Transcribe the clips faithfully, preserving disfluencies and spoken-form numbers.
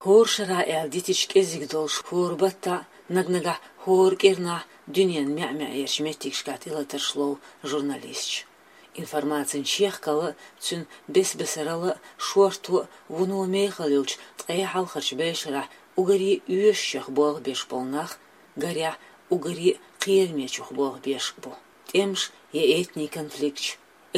ХӀора шарахь аьлла дитича кӀеззиг долуш, хӀора баттахь, наг-нагахь, хӀора кӀирнахь дуьненан маьӀ-маьӀерчу меттигашкахь тӀелатарш лов журналисташ. Информацин чехкалла а, цуьнан бес-бесаралла а, шорто а, вуно мехала йолчу ткъе хьалхарчу бӀешарахь уггаре оьшучех болх беш болу нах, гарехь, уггаре а кхерамечух болх беш а бу. ТӀемаш я этнийн конфликташ,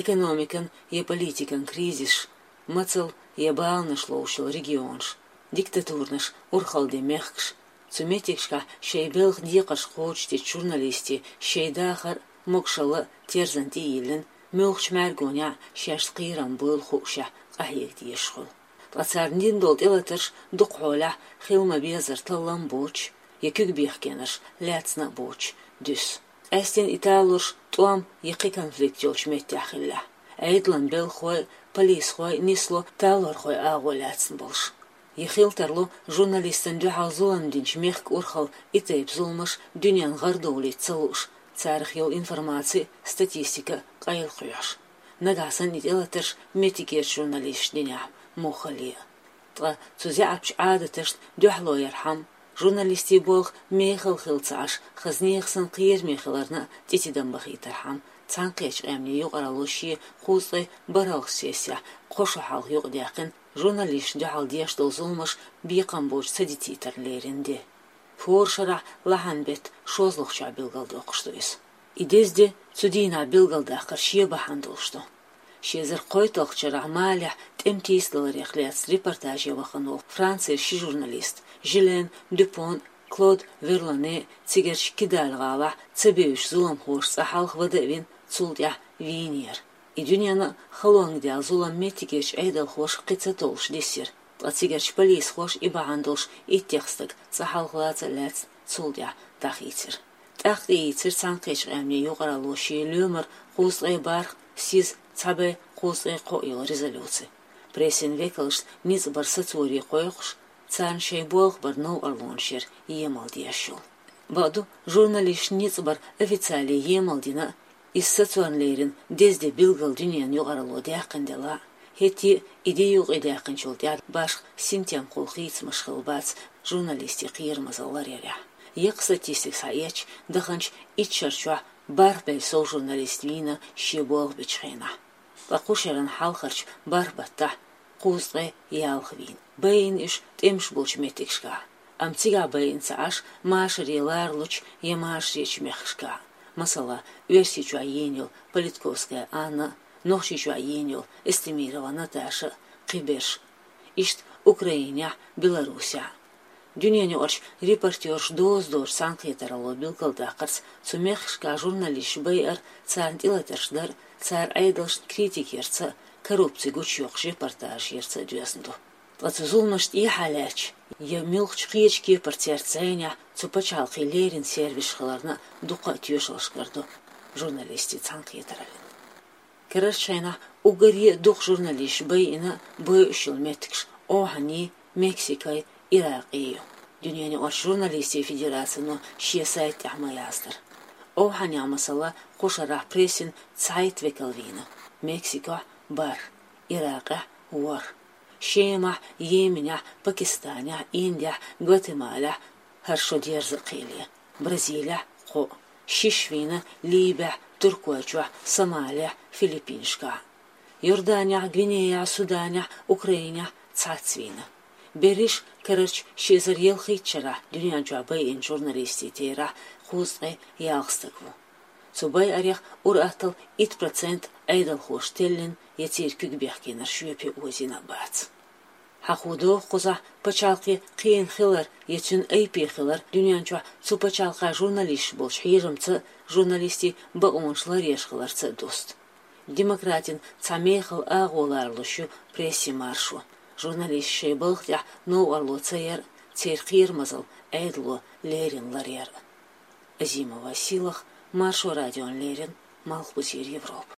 экономикан я политикан кризисаш, мацалла я баланаш ловш йолу регионаш, диктатурнаш урхалла ден мехкаш. Цу меттигашкахь шайн белхан декхарш кхочушдечу журналистийн шайн дахар а, могушалла а терзан тӀе а йиллина, муьлххачу мӀаьргонехь шаьш кхерам буйла хуушехь къахьега дезаш хуьлу. Ткъа царна дина долу тӀелатарш дукха хьолахь хила ма-беззара таллам а боцуш, я куьг бехкенарш лаьцна а боцуш дуьсу. Къаьсттина и талорш тӀом я кхин конфликт йолчу меттехь хиллехь, Ӏедалан белхахой а, полисхой а нисло талорхойн агӀо лаьцна болуш. Я хила тарло журналистана дуьхьал зулам динчу мехкан урхалла и тайпа зуламаш дуьненна гӀарадовлийта ца лууш, царах йолу информаци а, статистика а къайлакхоьхьуш. Нагахь санна и тӀелатарш меттигерчу журналисташна динехь муххале а. Ткъа цу заьӀапчу Ӏадаташна дуьхьало ярхьама, журналистийн болх мехала хилла ца Ӏаш, хаза нехан санна кхераме хиларна а тӀе тидам бахийтархьама, Цхьаьнакхеттачу Къаьмнийн Юкъаралло шен кхузткъе бархӀалгӀачу сессехь кхо шо хьалха юкъадаьккхина журналисташна дуьхьал деш долу зуламаш бекхам боцуш ца дитийтарна лерина де. ХӀора шарахь лахьан беттан шозлагӀчохь билгалдоккхуш ду иза. И деза де цу дийнахь билгалдаккхар шен бахьана долуш ду. Ши эзар кхойтталгӀачу шарахь Малехь тӀеман тийсадаларех лаьцна репортаже вахана волу Францера ши журналист, Жилен Дюпон а, Клод Верлоне а, цигарчу Кидаль-гӀалахь ца бевзачу зуламхоша цӀа хьалха вада а вина, цул тӀаьхьа вийнера. И дуьненна а халонга даьлла зулам меттигерчу Ӏедалхоша кхин ца толлуш диссира, ткъа цигарчу полисхоша и бахьана долуш иттех стаг цӀа хьалха лаца а лаьцна, цул тӀаьхьа дӀахийцира. ТӀаккха тӀеийцира Цхьаьнакхеттачу Къаьмнийн Юкъаралло шен лоьмар кхузткъе бархӀ, сиз, цхьа бӀе кхузткъе кхоъ йолу резолюци. Прессин векалшна ницкъ бар сацоре кхойкхуш, царна шайн болх бар новкъарлонаш яр емал деш йолу. Бакъду, журналисташна ницкъ бар официале емал дина а, иза сацорна лерина деза де билггал дуьненан юкъаралло даьккхина делахь а, хӀетте а и де юкъадаьккхинчул тӀаьхьа башха синтемхула хийцамаш хилла бац журналистийн кхерамазалла ларъярехь. Яккха статистика схьаэцча, даханчу итт шар чохь бархӀ бӀе сов журналист вийна шен болх бечу хенахь. Ткъа кху шеран хьалхарчу бархӀ баттахь кхузткъе ялх вийна. Байина уьш тӀемаш болчу меттигашкахь, амма цигахь байина ца Ӏаш машаре лоручу я машаречу мехкашкахь. Масала, Оьрсийчохь йийна йолу Политковская Анна а, Нохчийчохь йийна йолу Эстемирова Наташа а, кхиберш. Иштта Украинехь, Беларусехь. Дуьненаюкъарчу репортёрша доза доцу цхьаьнакхетаралло билгалдаккхарца, цу мехкашкахь журналисташ байар, царна тӀелатарш дар, цара Ӏедалшна критика ярца а, коррупци гучуйоккхуш репортажаш ярца а доьзна ду. Ткъа цу зуламашна тӀехьа лаьтташ, я муьлххачу кхечу кепара церан зӀенехь цу пачхьалкхийн леррина сервисаш хиларна а дуккха а тоьшаллаш карадо журналистийн цхьаьнакхетараллина. Карарчу хенахь уггаре а дукха журналисташ байина а, бойуш йолу меттигаш Ӏовхьанийн, Мексикин, Иракъин ю. Дуьненаюкъарчу журналистийн федерацино шен сайта тӀехь ма яздара. Ӏовхьанехь, масала, кху шарахь прессин цхьайтта векал вийна, Мексикохь — бархӀ, Иракъехь — ворхӀ, Шемахь, Йеменехь, Пакистанехь, Индехь, Гватемалехь — хӀара шо дерза а кхийле, Бразилехь — кхоъ, шиш вийна Либехь, Туркойчохь, Сомалехь, Филиппинашкахь. Йорданехь, Гвинеяхь, Суданехь, Украинехь цхьацца вийна. Берриш карарчу ши эзар ялхитта шарахь дуьнен чохь байинчу журналистийн терахь кхузткъе ялх стаг ву. Цу байарех ур-атталла итт процент Ӏедалхоша теллина я церан куьг бехкенарш жоьпе озийна а бац. Хьахо догӀу кхузахь пачхьалкхе кхиъна хилар я цуьнан айпе хилар дуьнен чохь цу пачхьалкхан журналисташ болчу хьежамца а, журналистийн бакъонаш ларъеш хиларца а дуста. Демократин цхьа мехала агӀо лоруш ю прессин маршо. Журналисташ шайн балха тӀехь новкъарло ца яр а, церан кхерамазалла Ӏедало леррина ларъяр а. Азимова Сийлаха, Маршо радиона леррина, Малхбузера Европа.